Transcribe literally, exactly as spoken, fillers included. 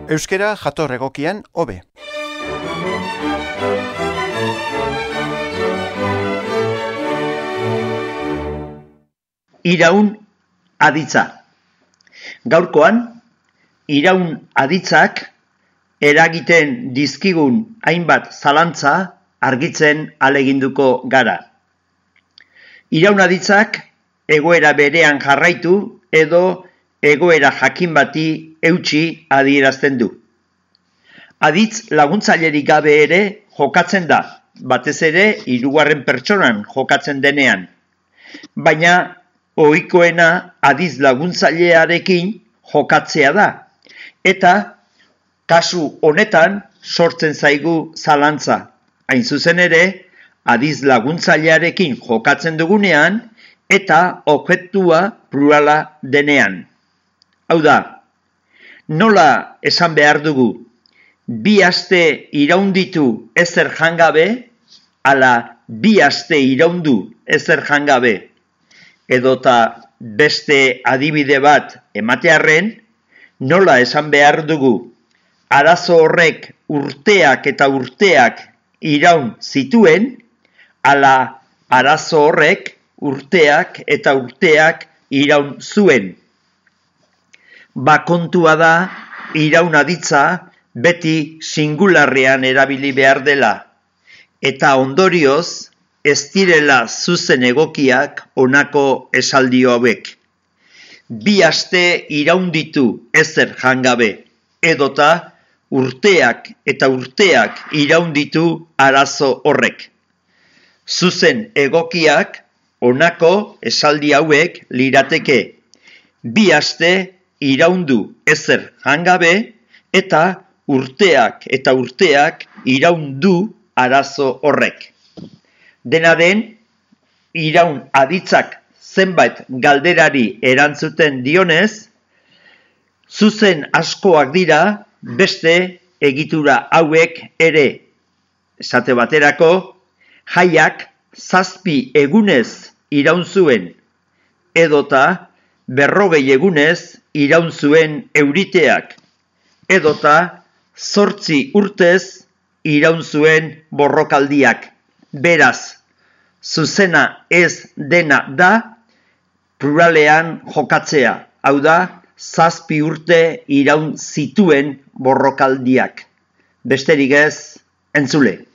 Euskera jator egokian hobe. Iraun aditza. Gaurkoan, iraun aditzak eragiten dizkigun hainbat zalantza argitzen ahaleginduko gara. Iraun aditzak egoera berean jarraitu edo egoera jakin bati eutsi adierazten du. Aditz laguntzailerik gabe ere jokatzen da, batez ere hirugarren pertsonan jokatzen denean. Baina ohikoena aditz laguntzailearekin jokatzea da. Eta kasu honetan sortzen zaigu zalantza. Hain zuzen ere, aditz laguntzailearekin jokatzen dugunean eta objektua plurala denean. Hau da, nola esan behar dugu, bi aste iraunditu ezer jangabe, ala bi aste iraundu ezer jangabe, edota beste adibide bat ematearren, nola esan behar dugu, arazo horrek urteak eta urteak iraun zituen, ala arazo horrek urteak eta urteak iraun zuen. Bakontua da, iraun aditza beti singularrean erabili behar dela, eta ondorioz ez direla zuzen egokiak honako esaldi hauek. Bi aste iraunditu ezer jangabe, edota urteak eta urteak iraunditu arazo horrek. Zuzen egokiak honako esaldi hauek lirateke. Bi aste iraundu ezer jangabe eta urteak eta urteak iraundu arazo horrek. Dena den, iraun aditzak zenbait galderari erantzuten dionez, zuzen askoak dira beste egitura hauek ere. Esate baterako, jaiak zazpi egunez iraun zuen, edota berrogei egunez iraun zuen euriteak, edota zortzi urtez iraun zuen borrokaldiak. Beraz, zuzena ez dena da pluralean jokatzea, hau da, zazpi urte iraun zituen borrokaldiak. Besterik ez, entzule.